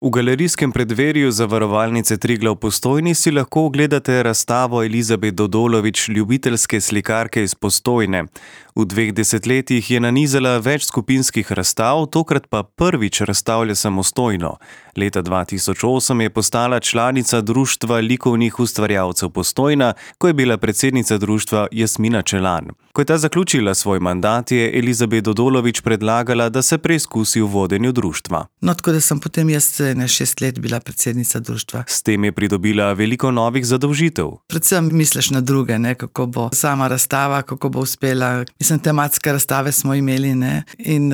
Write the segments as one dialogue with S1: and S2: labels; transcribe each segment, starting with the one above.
S1: V galerijskem preddverju Zavarovalnice Triglav v Postojni si lahko ogledate razstavo Elizabet Dodolović, ljubiteljske slikarke iz Postojne. V 2 desetletjih je nanizala več skupinskih razstav, tokrat pa prvič razstavlja samostojno. Leta 2008 je postala članica Društva likovnih ustvarjalcev Postojna, ko je bila predsednica društva Jasmina Čelan. Ko je ta zaključila svoj mandat, je Elizabet Dodolović predlagala, da se preizkusi v vodenju društva.
S2: No, tako da sem potem jaz 6 let bila predsednica društva.
S1: S tem je pridobila veliko novih zadolžitev.
S2: Predvsem misliš na druge, kako bo sama razstava, kako bo uspela. Mislim, tematske razstave smo imeli, in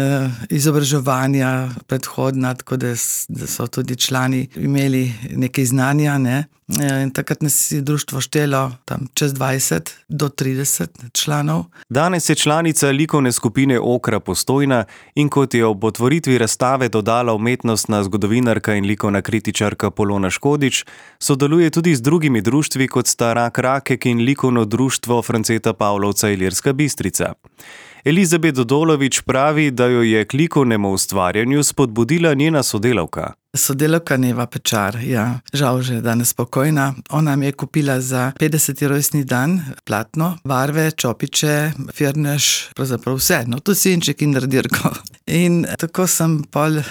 S2: izobraževanja predhodna, tako da so tudi člani imeli nekaj znanja, In takrat nas je društvo štelo tam čez 20 do 30 članov.
S1: Danes je članica likovne skupine Okra Postojna in kot je ob otvoritvi razstave dodala umetnostna zgodovinarka in likovna kritičarka Polona Škodič, sodeluje tudi z drugimi društvi, kot sta Rak Rakek in likovno društvo Franceta Pavlovca Ilirska Bistrica. Elizabet Dodolović pravi, da jo je k likovnemu ustvarjanju spodbudila njena sodelavka.
S2: Sodelavka Neva Pečar, žal že danes pokojna. Ona mi je kupila za 50. rojstni dan platno, barve, čopiče, firnež, pravzaprav vse, tudi sinček in radirko. In tako sem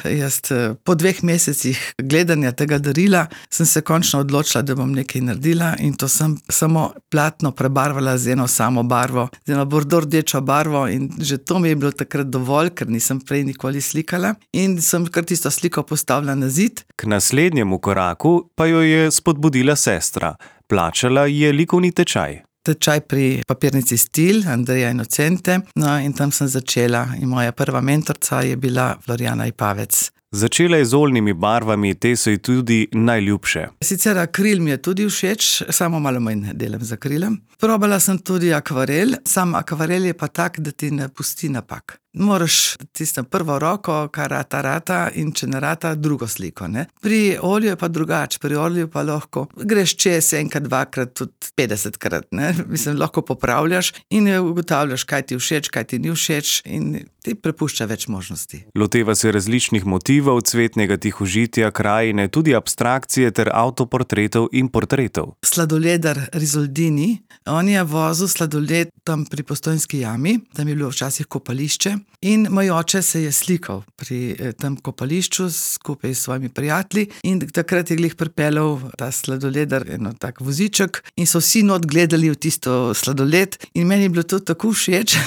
S2: jaz po 2 mesecih gledanja tega darila, sem se končno odločila, da bom nekaj naredila in to sem samo platno prebarvala z eno samo barvo, z eno bordo-rdečo barvo in že to mi je bilo takrat dovolj, ker nisem prej nikoli slikala in sem kar tisto sliko postavila na zid.
S1: K naslednjemu koraku pa jo je spodbudila sestra. Plačala je likovni tečaj.
S2: Tečaj pri papirnici Stil, Andreja Inocente, in tam sem začela in moja prva mentorca je bila Florjana Ipavec.
S1: Začela je z oljnimi barvami, te so ji tudi najljubše.
S2: Sicer akril mi je tudi všeč, samo malo manj delam z akrilom. Probala sem tudi akvarel, sam akvarel je pa tak, da ti ne pusti napak. Moraš tisto prvo roko, kar rata in če ne rata, drugo sliko. Pri olju je pa drugače, pri olju pa lahko greš čez enkrat, dvakrat, tudi 50krat. Mislim, lahko popravljaš in ugotavljaš, kaj ti všeč, kaj ti ni všeč in ti prepušča več možnosti.
S1: Loteva se različnih motivov, cvetnega tihožitja, krajine, tudi abstrakcije ter avtoportretov in portretov.
S2: Sladoledar Rizoldini, on je vozil sladoled tam pri Postojnski jami, tam je bilo včasih kopališče. In moj oče se je slikal pri tem kopališču skupaj s svojimi prijatelji in takrat je glih pripeljal ta sladoledar, tak voziček in so vsi not gledali v tisto sladoled in meni je bilo to tako všeč.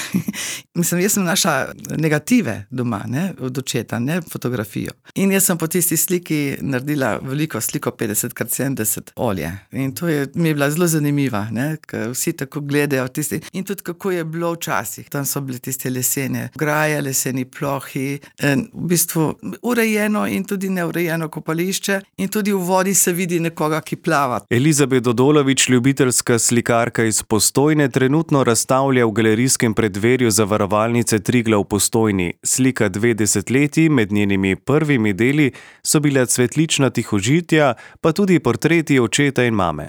S2: Mislim, jaz sem našla negative doma, od očeta, fotografijo. In jaz sem po tisti sliki naredila veliko sliko 50x70 olje. In to mi je bila zelo zanimiva, ker vsi tako gledajo tisti. In tudi kako je bilo včasih. Tam so bile tiste lesene graje, leseni plohi, v bistvu urejeno in tudi neurejeno kopališče in tudi v vodi se vidi nekoga, ki plava.
S1: Elizabet Dodolović, ljubiteljska slikarka iz Postojne, trenutno razstavlja v galerijskem preddverju Zavarovalnice Triglav v Postojni. Slika 2 desetletji, med njenimi prvimi deli so bila cvetlična tihožitja, pa tudi portreti očeta in mame.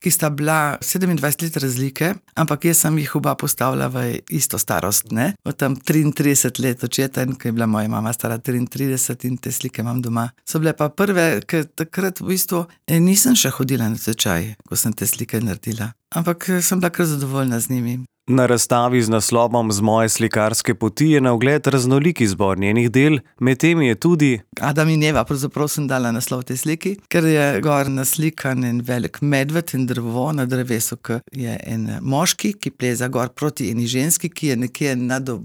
S2: Ki sta bila 27 let razlike, ampak jaz sem jih oba postavila v isto starost, Od tam 33 let očeta in ko je bila moja mama stara 33 in te slike imam doma. So bile pa prve, ker takrat v bistvu nisem še hodila na tečaj, ko sem te slike naredila, ampak sem bila kar zadovoljna z njimi.
S1: Na razstavi z naslovom Z moje slikarske poti je na ogled raznolik izbor njenih del, med temi je tudi
S2: Adam in Eva, pravzaprav sem dala naslov te sliki, ker je gor naslikan en velik medved in drevo na drevesu, ki je en moški, ki pleza gor proti eni ženski, ki je nekje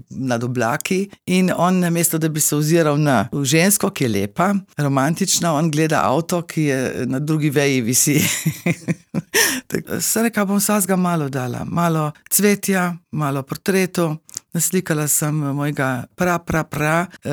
S2: nad oblaki in on namesto, da bi se oziral na žensko, ki je lepa, romantična, on gleda avto, ki je na drugi veji visi. Se reka, bom vsega malo dala, malo cvetja, malo portretov. Naslikala sem mojega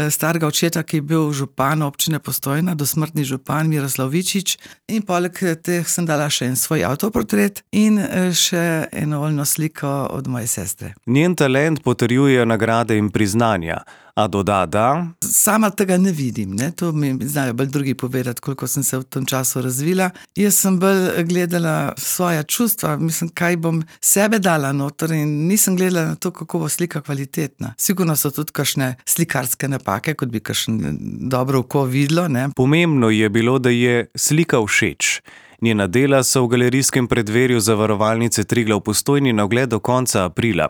S2: starega očeta, ki je bil župan občine Postojna, dosmrtni župan Miroslav Vičič, in poleg teh sem dala še en svoj avtoportret in še eno oljno sliko od moje sestre.
S1: Njen talent potrjujejo nagrade in priznanja. A doda, da
S2: Sama tega ne vidim, ne. To mi znajo bolj drugi povedati, koliko sem se v tem času razvila. Jaz sem bolj gledala svoja čustva, mislim, kaj bom sebe dala noter, in nisem gledala na to, kako bo slika kvalitetna. Sigurno so tudi kakšne slikarske napake, kot bi kakšno dobro oko videlo, ne.
S1: pomembno je bilo, da je slika všeč. Njena dela so v galerijskem preddverju Zavarovalnice Triglav v Postojni na ogled do konca aprila.